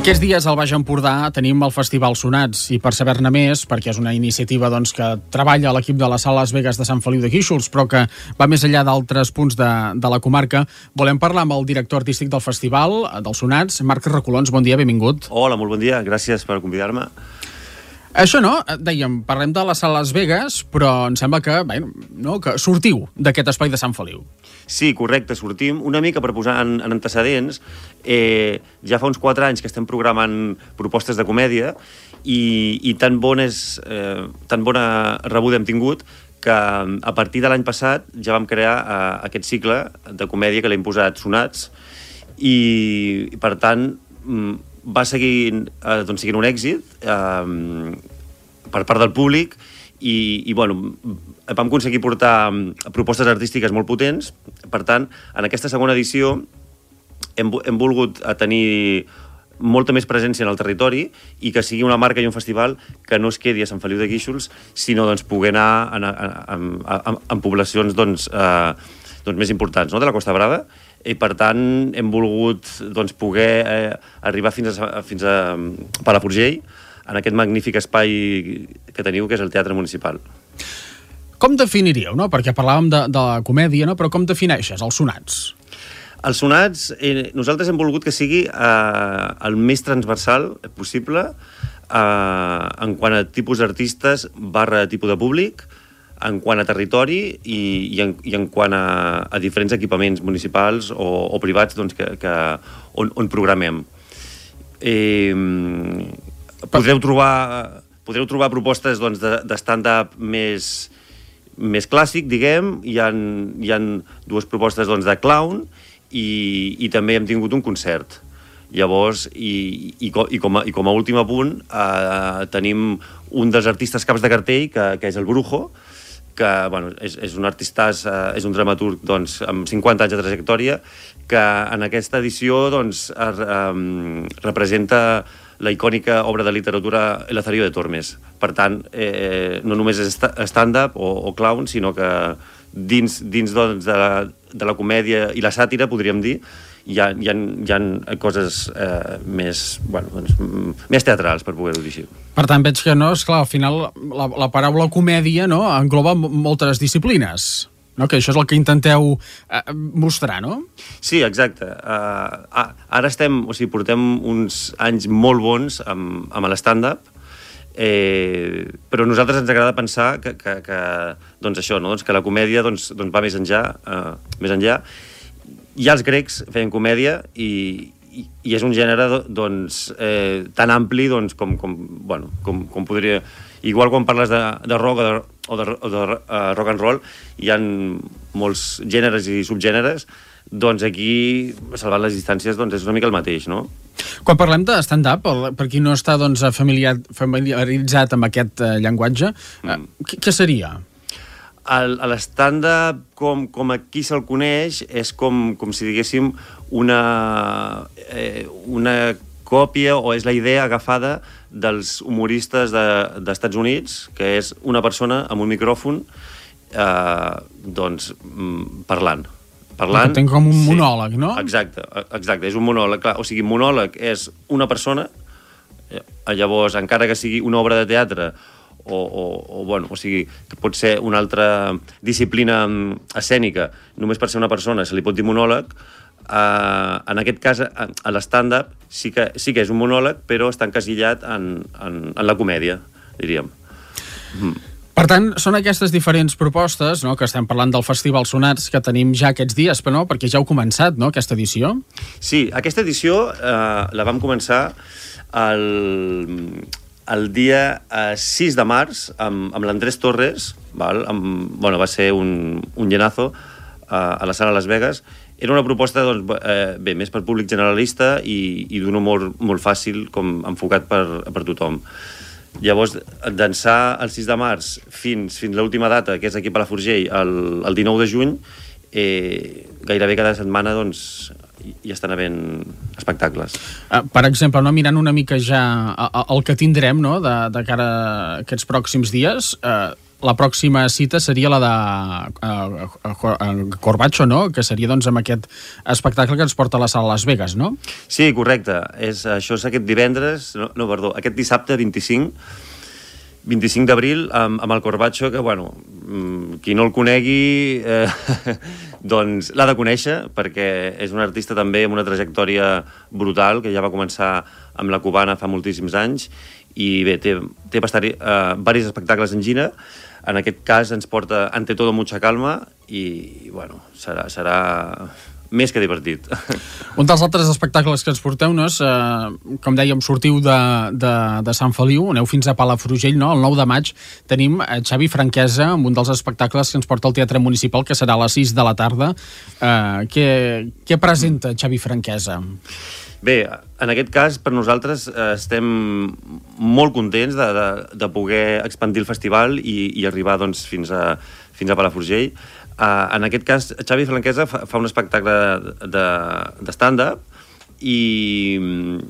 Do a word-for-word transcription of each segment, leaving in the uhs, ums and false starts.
Aquests dies al Baix Empordà tenim el Festival Sonats i per saber-ne més, perquè és una iniciativa doncs, que treballa a l'equip de la Sala Las Vegas de Sant Feliu de Guíxols, però que va més enllà d'altres punts de, de la comarca, volem parlar amb el director artístic del festival, dels Sonats, Marc Recolons. Bon dia, benvingut. Hola, molt bon dia, gràcies per convidar-me. Això no, dèiem, parlem de la Sala Las Vegas, però em sembla que, bé, no, que sortiu d'aquest espai de Sant Feliu. Sí, correcte, sortim una mica per posar en, en antecedents. Eh, ja fa uns quatre anys que estem programant propostes de comèdia i, i tan, bon és, eh, tan bona rebuda hem tingut que a partir de l'any passat ja vam crear eh, aquest cicle de comèdia que l'hem posat Sonats i, per tant, va seguir, eh, doncs, seguint un èxit eh, per part del públic i, i bueno, vam aconseguir portar propostes artístiques molt potents. Per tant, en aquesta segona edició hem, hem volgut tenir molta més presència en el territori i que sigui una marca i un festival que no es quedi a Sant Feliu de Guíxols, sinó doncs, poder anar en, en, en, en poblacions doncs, eh, doncs, més importants, no?, de la Costa Brava. I, per tant, hem volgut doncs, poder eh, arribar fins a, fins a Palafrugell, en aquest magnífic espai que teniu, que és el Teatre Municipal. Com definiríeu, no? Perquè parlàvem de, de la comèdia, no? Però com defineixes els Sonats? Els Sonats, eh, nosaltres hem volgut que sigui eh, el més transversal possible eh, en quant a tipus d'artistes barra tipus de públic, en quant a territori i, i, en, i en quant a, a diferents equipaments municipals o, o privats doncs, que, que, on, on programem. Eh, podreu, trobar, podreu trobar propostes doncs, de, de stand-up més, més clàssic, diguem. Hi ha, hi ha dues propostes doncs, de clown i, i també hem tingut un concert. Llavors, i, i, i, com a, i com a últim apunt, eh, tenim un dels artistes caps de cartell, que, que és el Brujo, que bueno, és, és un artistàs, eh, és un dramaturg doncs, amb cinquanta anys de trajectòria, que en aquesta edició doncs, es, eh, representa la icònica obra de literatura El Lazarillo de Tormes. Per tant, eh, no només és stand-up o, o clown, sinó que dins, dins doncs, de, la, de la comèdia i la sàtira, podríem dir, hi ha, hi ha, hi ha coses eh, més, bueno, doncs, més teatrals, per poder-ho dir així. Per tant, veig que no, esclar, al final la, la paraula comèdia no, engloba moltes disciplines, no? Que això és el que intenteu eh, mostrar, no? Sí, exacte. Uh, ara estem, o sigui, portem uns anys molt bons amb, amb l'stand-up, eh, però a nosaltres ens agrada pensar que, que, que, doncs això, no? doncs que la comèdia doncs, doncs va més enllà, uh, més enllà. Ja els grecs feien comèdia i, i, i és un gènere doncs, eh, tan ampli doncs, com, com, bueno, com, com podria... Igual quan parles de, de rock o de, o de, o de uh, rock and roll, hi ha molts gèneres i subgèneres, doncs aquí, salvant les distàncies, doncs és una mica el mateix, no? Quan parlem de stand-up, per qui no està doncs, familiar, familiaritzat amb aquest uh, llenguatge, uh, mm. què, què seria? L'stand-up, com, com aquí se'l coneix, és com, com si diguéssim una, eh, una còpia o és la idea agafada dels humoristes de, d'Estats Units, que és una persona amb un micròfon eh, doncs, parlant. parlant Tenc com un sí, monòleg, no? Exacte, exacte, és un monòleg. Clar, o sigui, monòleg és una persona, eh, llavors, encara que sigui una obra de teatre, O, o, o, bueno, o sigui, que pot ser una altra disciplina escènica, només per ser una persona se li pot dir monòleg. Uh, en aquest cas, a, a l'stand-up sí que, sí que és un monòleg, però està encasillat en, en, en la comèdia, diríem. Mm. Per tant, són aquestes diferents propostes, no?, que estem parlant del Festival Sonats que tenim ja aquests dies, però no, perquè ja heu començat, no?, aquesta edició? Sí, aquesta edició uh, la vam començar el... el dia eh, sis de març, amb, amb l'Andrés Torres, val? Amb, bueno, va ser un, un llenazo eh, a la Sala Las Vegas. Era una proposta doncs, eh, bé, més per públic generalista i, i d'un humor molt fàcil, com enfocat per, per tothom. Llavors, d'ençà el sis de març fins, fins l'última data, que és aquí a Palafrugell, el, el dinou de juny, eh, gairebé cada setmana doncs, hi estan havent espectacles. Uh, per exemple, no, mirant una mica ja el que tindrem no, de, de cara a aquests pròxims dies, uh, la pròxima cita seria la de uh, uh, Corbacho, no? Que seria doncs amb aquest espectacle que ens porta a la sala Las Vegas, no? Sí, correcte. És, això és aquest divendres, no, no perdó, aquest dissabte vint-i-cinc vint-i-cinc d'abril amb, amb el Corbacho, que, bueno, qui no el conegui, eh, doncs l'ha de conèixer, perquè és un artista també amb una trajectòria brutal, que ja va començar amb la cubana fa moltíssims anys, i bé, té, té bastant, eh, diversos espectacles en gira. En aquest cas ens porta Ante todo mucha calma, i, bueno, serà... serà més que divertit. Un dels altres espectacles que ens porteu, no és, eh, com dèiem, sortiu de, de, de Sant Feliu, aneu fins a Palafrugell, no? El nou de maig tenim Xavi Franquesa amb un dels espectacles que ens porta al Teatre Municipal, que serà a les sis de la tarda. Eh, què, què presenta Xavi Franquesa? Bé, en aquest cas, per nosaltres eh, estem molt contents de, de, de poder expandir el festival i, i arribar doncs, fins, a, fins a Palafrugell. Uh, en aquest cas, Xavi Franquesa fa, fa un espectacle de, de stand-up i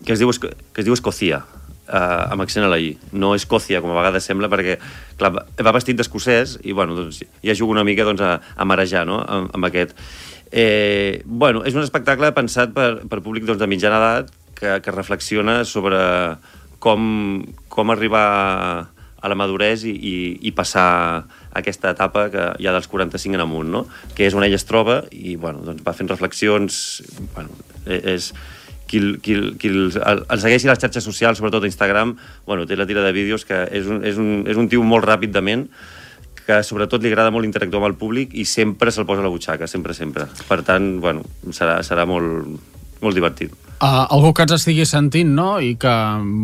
que es diu, que es diu Escòcia, uh, amb accent a la I. No Escòcia, com a vegades sembla, perquè clar, va vestit d'escocès i bueno, doncs, ja jugo una mica doncs, a, a marejar, no? amb, amb aquest. Eh, bueno, és un espectacle pensat per, per públic doncs, de mitjana edat que, que reflexiona sobre com, com arribar a la maduresa i, i, i passar aquesta etapa que hi ha dels quaranta-cinc en amunt, no? Que és on ell es troba i bueno, doncs va fent reflexions. Bueno, és, qui, qui, qui el, el segueixi a les xarxes socials, sobretot a Instagram, bueno, té la tira de vídeos que és un, és un, és un tio molt ràpid de ment, que sobretot li agrada molt interactuar amb el públic i sempre se'l posa a la butxaca, sempre, sempre. Per tant, bueno, serà, serà molt, molt divertit. Uh, algú que ens estigui sentint, no?, i que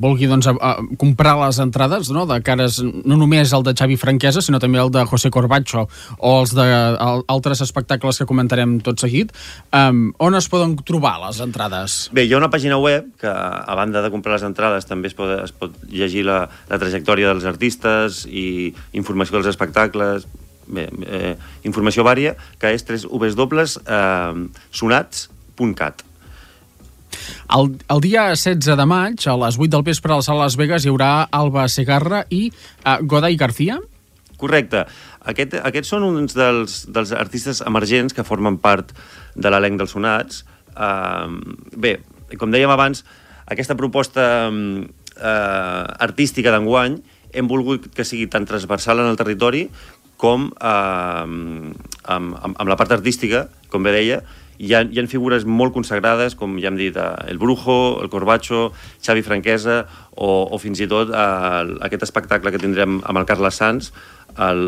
vulgui doncs, a, a comprar les entrades, no?, de cares, no només el de Xavi Franquesa, sinó també el de José Corbacho o els de el, altres espectacles que comentarem tot seguit, um, on es poden trobar les entrades? Bé, hi ha una pàgina web que, a banda de comprar les entrades, també es pot, es pot llegir la, la trajectòria dels artistes i informació dels espectacles. Bé, eh, informació vària, que és w w w punt sonats punt cat. El, el dia setze de maig, a les vuit del vespre, a la sala Las Vegas, hi haurà Alba Segarra i uh, Goday García? Correcte. Aquest, aquests són uns dels, dels artistes emergents que formen part de l'elenc dels Sonats. Uh, bé, com dèiem abans, aquesta proposta uh, artística d'enguany hem volgut que sigui tan transversal en el territori com uh, amb, amb, amb la part artística, com bé deia. Hi ha, hi ha figures molt consagrades, com ja hem dit, el Brujo, el Corbacho, Xavi Franquesa, o, o fins i tot el, aquest espectacle que tindrem amb el Carles Sans el,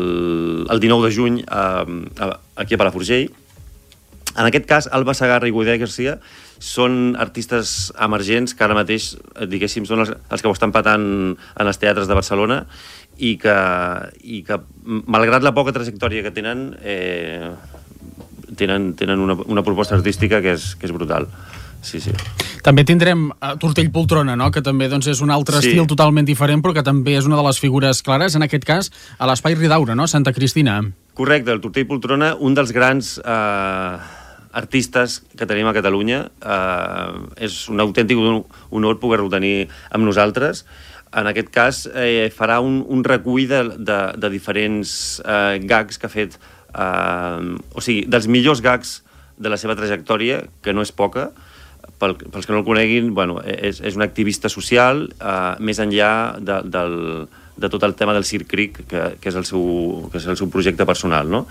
el dinou de juny a, a, aquí a Palafrugell. En aquest cas, Alba Segarra i Goday García són artistes emergents que ara mateix, diguéssim, són els, els que ho estan patant en els teatres de Barcelona i que, i que malgrat la poca trajectòria que tenen, eh, tenen, tenen una, una proposta artística que és, que és brutal. Sí, sí. També tindrem uh, Tortell Poltrona, no?, que també doncs, és un altre sí. estil totalment diferent, però que també és una de les figures clares, en aquest cas, a l'Espai Ridaura, no?, Santa Cristina. Correcte, el Tortell Poltrona, un dels grans eh, artistes que tenim a Catalunya. Eh, és un autèntic honor poder-lo tenir amb nosaltres. En aquest cas, eh, farà un, un recull de, de, de diferents eh, gags que ha fet. Uh, o sigui, dels millors gags de la seva trajectòria, que no és poca, pel, pels que no el coneguin, bueno, és, és un activista social, uh, més enllà de, del, de tot el tema del Circ Cric, que, que, és el seu, que és el seu projecte personal, no?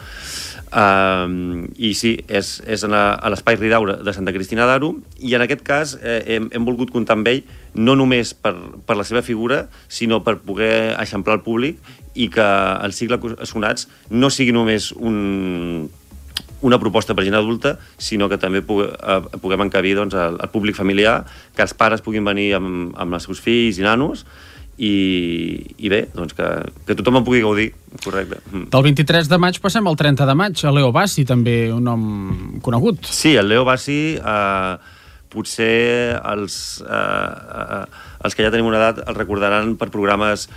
Uh, I sí, és, és a l'Espai Ridaura de Santa Cristina d'Aro, i en aquest cas eh, hem, hem volgut comptar amb ell, no només per, per la seva figura, sinó per poder eixamplar el públic i que el cicle Sonats no sigui només un, una proposta per gent adulta, sinó que també puguem encabir doncs, el, el públic familiar, que els pares puguin venir amb, amb els seus fills i nanos, i, i bé, doncs que, que tothom en pugui gaudir, correcte. Del vint-i-tres de maig passem al trenta de maig, a Leo Bassi, també un nom conegut. Sí, el Leo Bassi, eh, potser els, eh, els que ja tenim una edat el recordaran per programes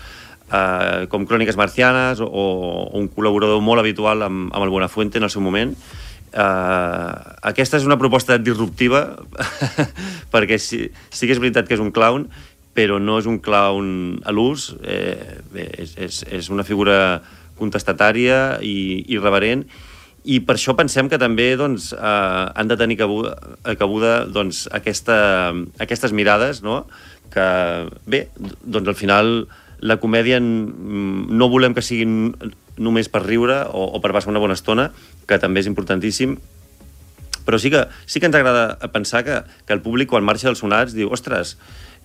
Uh, com Cròniques Marcianes o, o un col·laborador molt habitual amb, amb el Buenafuente en el seu moment. Uh, aquesta és una proposta disruptiva perquè sí, sí que és veritat que és un clown, però no és un clown a l'ús. Eh, bé, és, és, és una figura contestatària i irreverent, i per això pensem que també doncs, eh, han de tenir cabuda, cabuda doncs, aquesta, aquestes mirades, no? Que, bé, doncs al final la comèdia no volem que sigui només per riure o, o per passar una bona estona, que també és importantíssim, però sí que, sí que ens agrada pensar que, que el públic, quan marxa dels sonats, diu, ostres,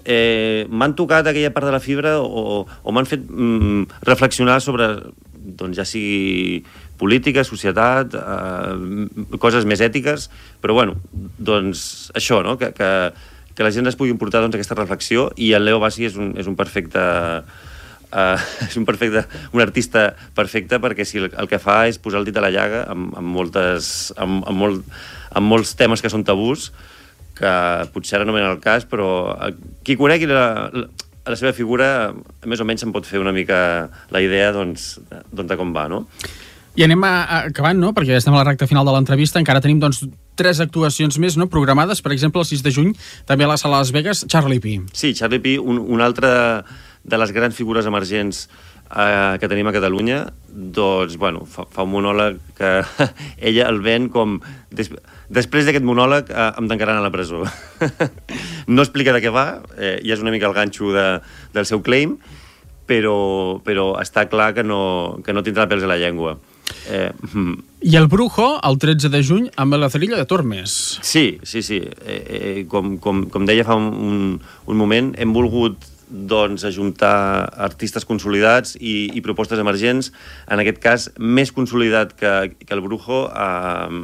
eh, m'han tocat aquella part de la fibra o, o m'han fet mm, reflexionar sobre, doncs ja sigui política, societat, eh, coses més ètiques, però bueno, doncs això, no? Que, que, que la gent es pugui portar doncs, aquesta reflexió, i el Leo Bassi és un, és un perfecte... Uh, és un perfecte, un artista perfecte, perquè si el, el que fa és posar el dit a la llaga amb, amb, moltes, amb, amb, molt, amb molts temes que són tabús, que potser ara no venen al cas, però qui conegui la, la, la seva figura més o menys se'n pot fer una mica la idea doncs, doncs de com va, no? I anem a, a acabant, no? Perquè ja estem a la recta final de l'entrevista. Encara tenim doncs, tres actuacions més, no? Programades. Per exemple, el sis de juny, també a la sala Las Vegas, Charlie Pi. Sí, Charlie Pi, un, un altre de les grans figures emergents eh, que tenim a Catalunya, doncs, bueno, fa, fa un monòleg que ella el ven com... Des, després d'aquest monòleg eh, em tancaran a la presó. No explica de què va, eh, ja és una mica el ganxo de, del seu claim, però, però està clar que no, que no tindrà pèls a la llengua. Eh, I el Brujo, el tretze de juny, amb el Lazarillo de Tormes. Sí, sí, sí. Eh, eh, com, com, com deia fa un, un moment, hem volgut doncs, ajuntar artistes consolidats i, i propostes emergents, en aquest cas més consolidat que, que el Brujo eh,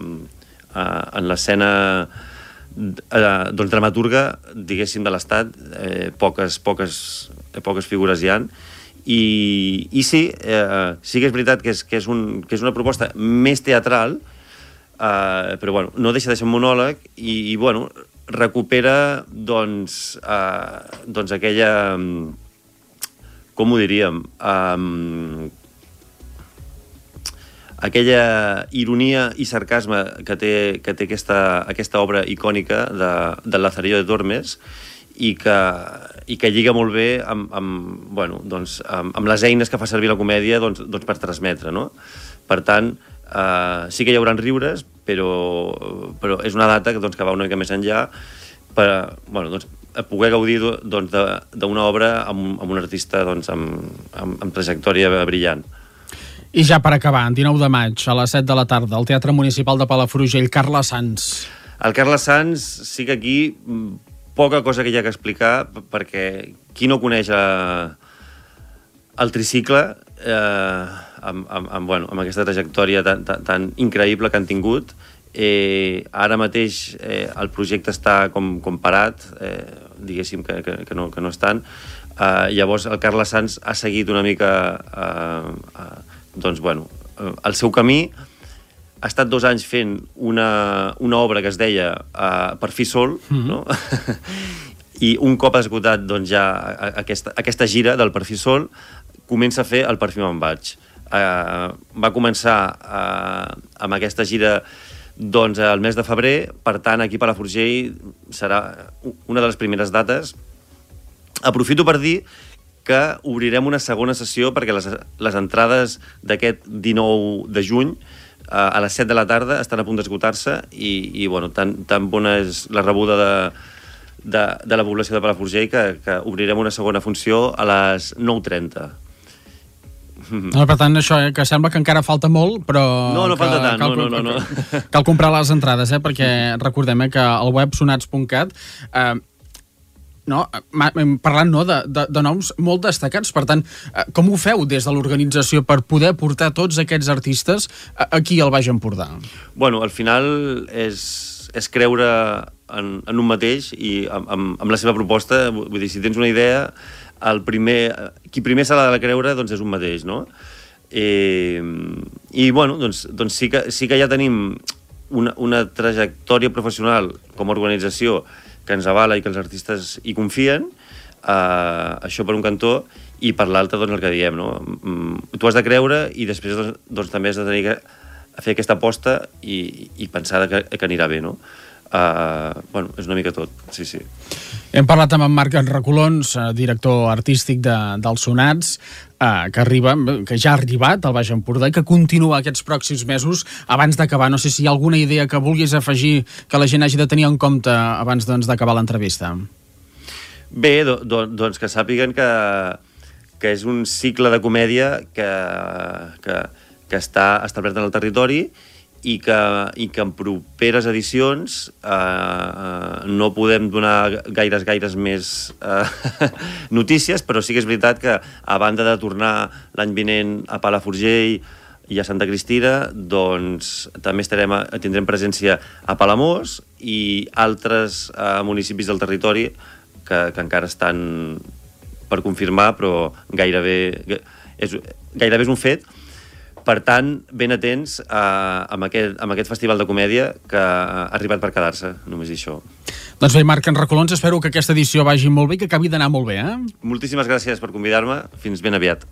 eh, en l'escena eh, doncs, dramaturga, diguéssim, de l'Estat. Eh, poques, poques, eh, poques figures hi ha. I, i sí, eh, sí que és veritat que és, que és, un, que és una proposta més teatral, eh, però bueno, no deixa de ser un monòleg i, i bueno, recupera doncs, eh, doncs aquella, com ho diríem, eh, aquella ironia i sarcasme que té, que té aquesta, aquesta obra icònica de, del Lazarillo de Tormes, i que, i que lliga molt bé amb, amb, bueno, doncs, amb, amb les eines que fa servir la comèdia doncs, doncs per transmetre, no? Per tant, eh, sí que hi haurà riures, però, però és una data doncs, que va una mica més enllà per bueno, doncs, poder gaudir doncs, d'una obra amb, amb un artista doncs, amb, amb, amb trajectòria brillant. I ja per acabar, dinou de maig, a les set de la tarda, al Teatre Municipal de Palafrugell, Carles Sans. El Carles Sans sí que aquí poca cosa que hi ha que explicar, perquè qui no coneix a, el tricicle eh, amb, amb, amb, bueno, amb aquesta trajectòria tan, tan, tan increïble que han tingut, eh, ara mateix eh, el projecte està com, com parat, eh, diguéssim que, que, que, no, que no estan. Eh, llavors el Carles Sans ha seguit una mica eh, eh, doncs, bueno, eh, el seu camí. Ha estat dos anys fent una, una obra que es deia uh, Per fi sol, mm-hmm. no? I un cop esgotat doncs, ja aquesta, aquesta gira del Per fi sol, comença a fer el Per fi me'n vaig. Uh, va començar uh, amb aquesta gira doncs, el mes de febrer, per tant aquí a Palafrugell serà una de les primeres dates. Aprofito per dir que obrirem una segona sessió perquè les, les entrades d'aquest dinou de juny a les set de la tarda estan a punt d'esgotar-se i, i bueno, tan, tan bona és la rebuda de, de, de la població de Palafrugell que, que obrirem una segona funció a les nou trenta. No, per tant, això, eh, que sembla que encara falta molt, però... No, no que, falta tant, cal, no, no, no, no. Cal comprar les entrades, eh, perquè recordem eh, que al web sonats punt cat eh, no, parlant no, de, de, de noms molt destacats. Per tant, com ho feu des de l'organització per poder portar tots aquests artistes aquí al Baix Empordà? Bueno, al final és, és creure en, en un mateix i amb, amb, amb la seva proposta. Vull dir, si tens una idea, el primer, qui primer s'ha de creure doncs és un mateix, no? I, i bueno, doncs, doncs sí, que, sí que ja tenim una, una trajectòria professional com a organització que ens avala i que els artistes hi confien, eh, això per un cantó, i per l'altre, doncs, el que diem, no? Tu has de creure i després, doncs, doncs també has de tenir que fer aquesta aposta i, i pensar que, que anirà bé, no? Uh, bueno, és una mica tot, sí, sí. Hem parlat amb en Marc Recolons, director artístic de, dels Sonats, eh, que arriba, que ja ha arribat al Baix Empordà i que continua aquests pròxims mesos. Abans d'acabar, no sé si hi ha alguna idea que vulguis afegir que la gent hagi de tenir en compte abans doncs, d'acabar l'entrevista. Bé, do, do, doncs que sàpiguen que, que és un cicle de comèdia que, que, que està establert en el territori i que, i que en properes edicions eh, no podem donar gaires, gaires més eh, notícies, però sí que és veritat que a banda de tornar l'any vinent a Palafrugell i a Santa Cristina, doncs també estarem a, tindrem presència a Palamós i altres eh, municipis del territori que, que encara estan per confirmar, però gairebé és, gairebé és un fet. Per tant, ben atents a, amb, aquest, amb aquest festival de comèdia que ha arribat per quedar-se, només dir això. Doncs bé, Marc Recolons, espero que aquesta edició vagi molt bé i que acabi d'anar molt bé, eh? Moltíssimes gràcies per convidar-me. Fins ben aviat.